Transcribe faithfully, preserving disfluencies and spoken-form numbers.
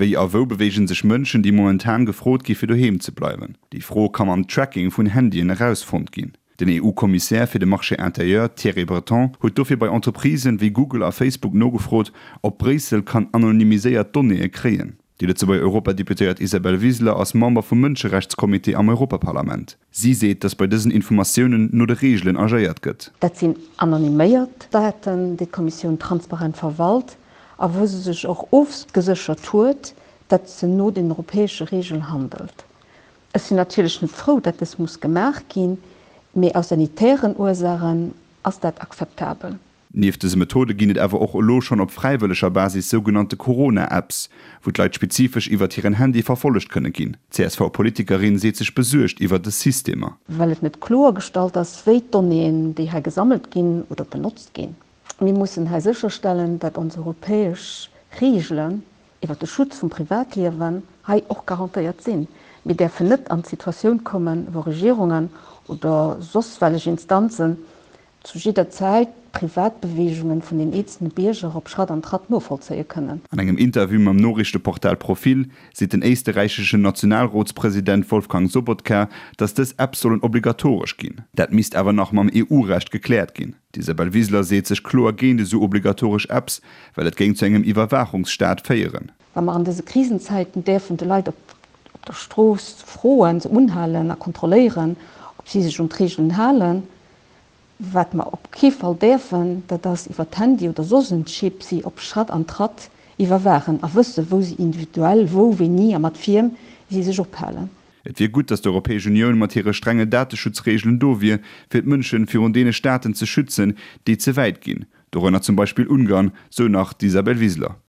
Wéi a wou beweegen sech Mënschen, déi momentan gefrot gi fir doheem ze bleiwen? Déi Fro ka mam Tracking vun Handyen erausfonnt ginn. Den EU-Kommissär fir de Marché intérieur Thierry Breton huet dofir bei Entreprisen wéi Google a Facebook nogefrot, ob Bréissel kann anonymiséiert Donnéeë kréien. Déi Lëtzebuerger Europadeputéiert Isabel Wiseler ass Member vum Mënscherechtscomité am Europaparlament. Si seet, datt bei dësen Informatiounen no de Reegelen agéiert gëtt. Dat sinn anonymiséiert Daten, déi d'Kommissioun transparent verwalt a wou se sech och ofgeséchert huet, datt se no den europäesche Reegelen handelt. Ech sinn natierlech net frou, datt dës muss gemaach ginn, mee aus sanitären Ursaachen ass dat akzeptabel. Nieft dëse Methode ginn et awer och elo schonn op fräiwëlleger Basis sougenannte Corona-Apps, wou d'Leit spezifesch iwwert hiren Handy verfollegt kënne ginn. D'CSV-Politikerin seet sech besuergt iwwer dës Systemer. Well et net kloergestallt ass, wéi d'Donnéeën, déi hei gesammelt ginn oder benotzt ginn. Mir mussen hei sécherstellen, datt ons europäesch Reegelen iwwer de Schutz vum Privatliewen hei och garantéiert sinn. Mir däerfen net an d'Situatioun kommen, wou Regierungen oder soss wellech Instanzen zu jidder Zäit d'Privatbeweegungen vun den eenzelne Bierger op Schratt an Tratt novollzéie kënnen. An engem Interview mam Noriichteportal Profil seet den éisterräicheschen Nationalrotspresident Wolfgang Sobotka, datt dës Apps sollen obligatoresch ginn. Dat misst awer nach mam EU-Recht gekläert ginn. D'Isabel Wiseler seet sech kloer géint esou obligatoresch Apps, well et géing zu engem Iwwerwaachungsstaat féieren. Wa mer an dëse Krisenzäiten däerfen de Leit op der Strooss froen, se unhalen a kontrolléieren, ob si sech un d'Reegelen halen. Wat mer op kee Fall däerfen, dat ass iwwer d'Handy oder soss en Chip si op Schratt an Tratt iwwerwaachen a wësse wou si individuell, wou, wéini a mat wiem si sech ophalen. Et wier gutt, datt d'Europäesch Unioun mat hire strenge Dateschutzreegelen do wier, fir d'Mënsche virun deene Staaten ze schützen, déi ze wäit ginn, dorënner zum Beispill Ungarn, sou nach d'Isabel Wiseler.